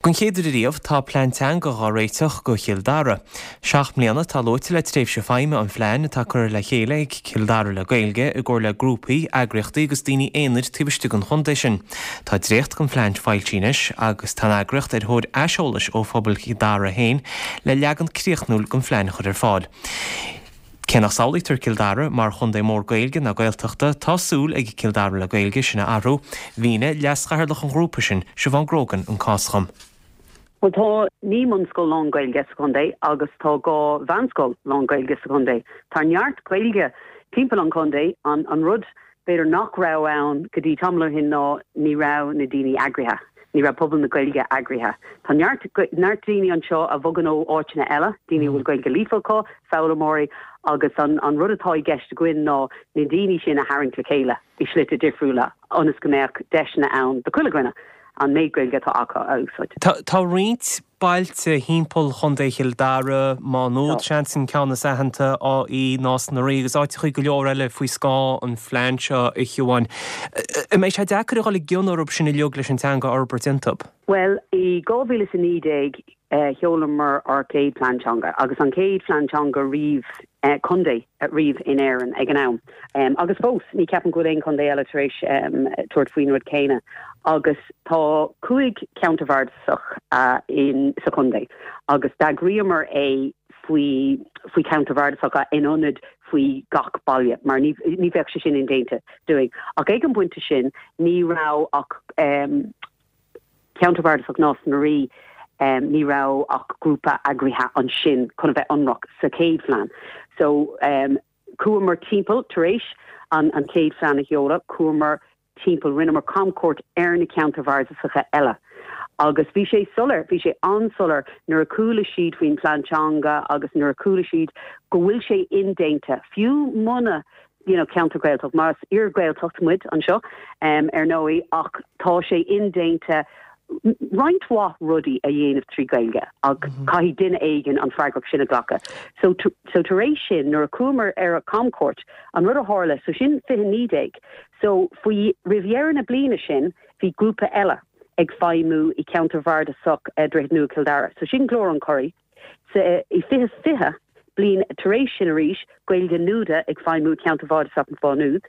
Don chéad uair ariamh, tá plean teanga dhá réiteach go Chill Dara. 7 mbliana atá luaite le tréimhse feidhme an phlean atá curtha le chéile ag Cill Dara le Gaeilge i gcomhar le grúpaí, eagraíochtaí agus daoine aonair taobh istigh den chontae sin. Tá dréacht den phlean foilsithe anois agus tá an eagraíocht ar thóir aiseolais ó phobal Chill Dara féin le leagan críochnúil den phlean a chur ar fáil. Cé nach samhlaítear Cill Dara mar chontae mór Gaeilge ná Gaeltachta, tá súil ag Cill Dara le Gaeilge sin a athrú. Mhínigh leaschathaoirleach an ghrúpa sin, Siobhán Grogan, an cás dhom. Bhuel, tá 9 mbunscoil lán-Ghaeilge sa chontae agus tá 2 mheánscoil lán-Ghaeilge sa chontae. Tá neart Gaeilge timpeall an chontae. An rud b'fhéidir nach raibh ann go dtí tamall ó shin ná ní raibh na daoine eagraithe, ní raibh pobal na Gaeilge eagraithe. Tá neart, neart daoine anseo a bhogann ó áiteanna eile, daoine a bhfuil Gaeilge líofa acu, foghlaimeoirí, agus an, an rud atá i gceist againn ná na daoine sin a tharraingt le chéile i slite difriúla ionas go mbeadh deiseanna ann do chuile dhuine an méid Gaeilge atá acu a úsáid. Tá, tá roinnt bailte thimpeall Chontae Chill Dara, Má Nuad, seans, an ceann is aitheanta, Áth Í, Nás na Rí agus áiteachaí go leor eile faoi scáth an phlean seo, a Shiobháin. An mbeidh sé deacair a dhul i gcion orthu sin uilig leis an teanga a fhorbairt iontu? Bhuel, i 2019 sheolamar ár chéad phlean teanga agus an chéad phlean teanga riamh, contae riamh in Éirinn ag an am. Agus fós, ní ceapaim go bhfuil aon chontae eile tar éis tabhairt faoin rud céanna. Agus tá 5 cheantar bhardasach in sa chontae agus d'eagraíomar é faoi faoi cheantar bhardasacha in ionad faoi gach baile mar ní ní bheadh sé sin indéanta dúinn. Ach ag an bpointe sin ní raibh ach Ceantar Bardasach Nás na Rí, ní raibh ach grúpa eagraithe ansin chun a bheith ionraic sa chéad phlean. So chuamar timpeall tar éis an an chéad phlean a sheoladh, chuamar timpeall, rinneamar camchuairt ar na ceantair bhardasacha eile agus bhí sé soiléir, bhí sé an-soiléir nuair a chuala siad faoin phlean teanga agus nuair a chuala siad go bhfuil sé indéanta, fiú muna you know ceantar Gaeltacht, mar is iar-Ghaeltacht muid anseo ar ndóigh ach tá sé indéanta roinnt mhaith rudaí a dhéanamh trí Ghaeilge ach caithfidh duine éigin an freagracht sin a ghlacadh. So so tar éis sin nuair a chuamar ar an camchuairt an rud a tharla so sin 2019 so faoi roimh dheireadh na bliana sin bhí grúpa eile ag feidhmiú i gceantar bhardasach Droichead Nua Chill Dara so sin Glór an Churraigh Sa i 2020, bliain tar éis sin arís, Gaeilge Nuada ag feidhmiú i gceantar Bhardasach Mhá Nuad,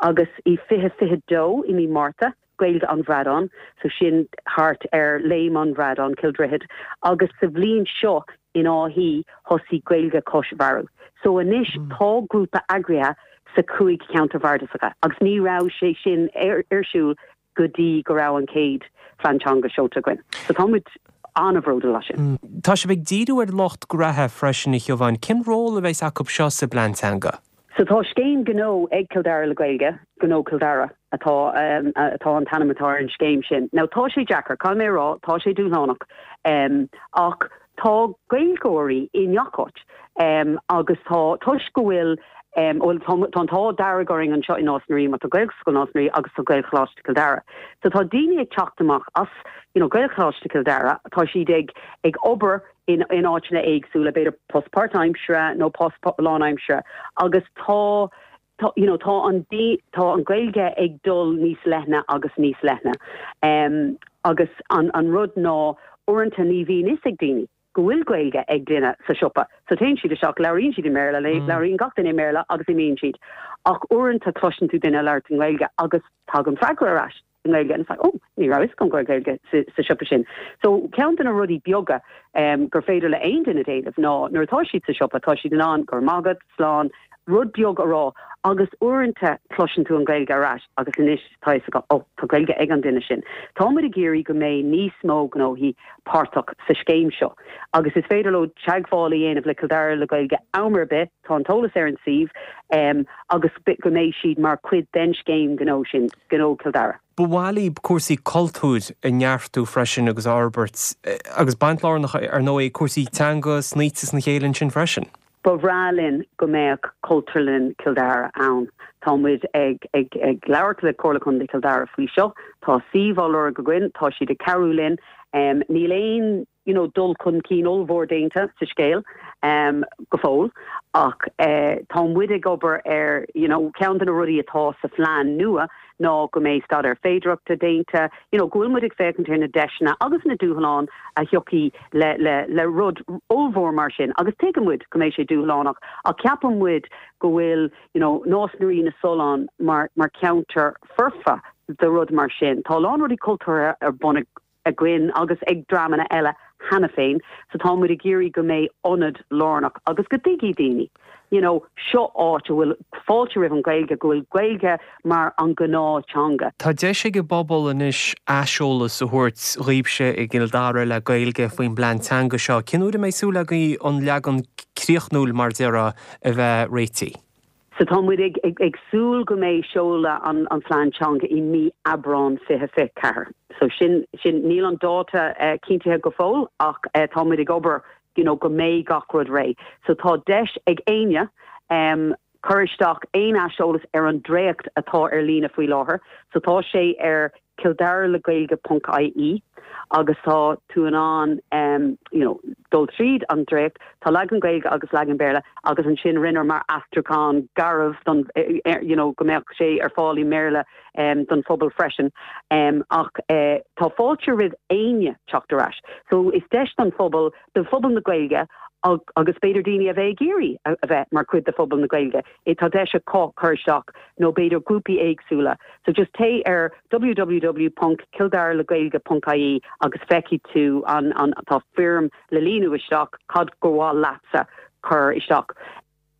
agus i 2022 i mí Márta, Gaeilge an Bhradáin, so sin thart ar Léim an Bhradáin, Cill Droichid, agus sa bhliain seo in Áth Í thosaigh Gaeilge Cois Bhearú. So anois tá grúpa eagraithe sa chúig cheantar bhardasacha agus ní raibh sé sin ar siúl go dtí go raibh an chéad phlean teanga seolta againn. So tá muid an-bhródúil as sin. Tá sibh ag díriú ar lucht graithe freisin, a Shiobháin. Cén ról a bheas acu seo sa bplean teanga? So tá scéim gnó ag Cill Dara le Gaeilge, Gnó Chill Dara atá atá an t-ainm atá ar an scéim sin. Now tá sé deacair, caithfidh mé a rá, tá sé dúshlánach ach tá Gaeilgeoirí i ngach áit agus tá toisc go bhfuil Bhuel, tá an t-ádh dearg orainn anseo i Nás na Rí mar tá Gaelscoil Nás na Rí agus tá Gaelcholáiste Chill Dara. So tá daoine ag teacht amach as you know Gaelcholáiste Chill Dara, tá siad ag ag obair in in áiteanna éagsúla, b'fhéidir post páirtaimseartha nó post lánaimseartha agus tá tá you know tá an tá an Ghaeilge ag dul níos leithne agus níos leithne. Agus an an rud ná uaireanta ní bhíonn fhios ag daoine. go bhfuil Gaeilge ag duine sa siopa. So téann siad isteach, labhraíonn siad i mBéarla, labhraíonn gach duine i mBéarla agus imíonn siad. Ach uaireanta cloiseann tú duine ag labhairt i nGaeilge agus tagann freagra ar ais i nGaeilge and it's like, oh, ní raibh fhios agam go raibh Gaeilge sa siopa sin. So ceann de na rudaí beaga gur féidir le aon duine déanamh ná nuair atá siad sa siopa, tá siad in ann go raibh maith agat, slán, rud beag a rá agus uaireanta cloiseann tú an Ghaeilge ar ais agus anois tá fhios agat, oh, tá Gaeilge ag an duine sin. Tá muid ag iarraidh go mbeidh níos mó gnóthaí páirteach sa scéim seo agus is féidir leo teagmháil a dhéanamh le Cill Dara le Gaeilge am ar bith, tá an t-eolas ar an suíomh, agus go mbeidh siad mar chuid den scéim gnó sin, Gnó Chill Dara. Ba mhaith libh cúrsaí cultúir a neartú freisin agus a fhorbairt agus baint lárnach ar ndóigh ag cúrsaí teanga snoite sna chéile ansin freisin. Ba bhreá linn go mbeadh Cultúrlann Chill Dara ann. Tá muid ag ag ag labhairt le Comhairle Contae Chill Dara faoi seo. Tá suíomh á lorg againn, tá siad ag cabhrú linn. Níl aon you know dul chun cinn ollmhór déanta sa scéal go fóill ach tá muid ag obair ar you know ceann de na rudaí atá sa phlean nua. ná go mbeidh staidéar féidearthachta déanta, you know, go bhfuil muid ag féachaint ar na deiseanna agus na dúshláin a thiocfaidh le, le, le rud ollmhór mar sin agus tuigeann muid go mbeidh sé dúshlánach ach ceapann muid go bhfuil, you know, Nás na Rí na Sollán mar, mar cheantar foirfe do rud mar sin. Tá a lán rudaí cultúrtha ar bun againn agus ag dreamanna eile cheana féin so tá muid ag iarraidh go mbeidh ionad lárnach agus go dtuigfidh daoine you know seo áit a bhfuil fáilte roimh an Ghaeilge, go bhfuil Gaeilge mar an gnáth teanga. Tá deis ag an bpobal anois aiseolas a thabhairt dhaoibhse i gCill Dara le Gaeilge faoin bplean teanga seo. Cén uair a mbeidh súil agaibh an leagan críochnúil, mar déarfá, a bheith réitithe? So tá muid ag súil go mbeidh seoladh an phlean teanga i mí Aibreán 2024. So sin, sin, níl an dáta cinntithe go fóill ach tá muid ag obair you know go mbeidh gach rud réidh. So tá deis ag éinne cur isteach aon aiseolas ar an dréacht atá ar líne faoi láthair. So tá sé ar kildaraleghaeilge.ie agus tá tú in ann you know dul tríd an dréacht, tá leagan Gaeilge agus leagan Béarla agus ansin rinneamar aistriúchán garbh don you know go mbeadh sé ar fáil i mBéarla don phobal freisin ach tá fáilte roimh éinne teacht ar ais. So is deis don phobal, do phobal na Gaeilge agus b'fhéidir daoine a bheith ag iarraidh a bheith mar chuid de phobal na Gaeilge, tá deis acu cur isteach nó b'fhéidir grúpaí éagsúla. So just téigh ar www.kildaraleghaeilge.ie agus feicfidh tú an, an, tá foirm le líonadh isteach cad gur mhaith leatsa cur isteach.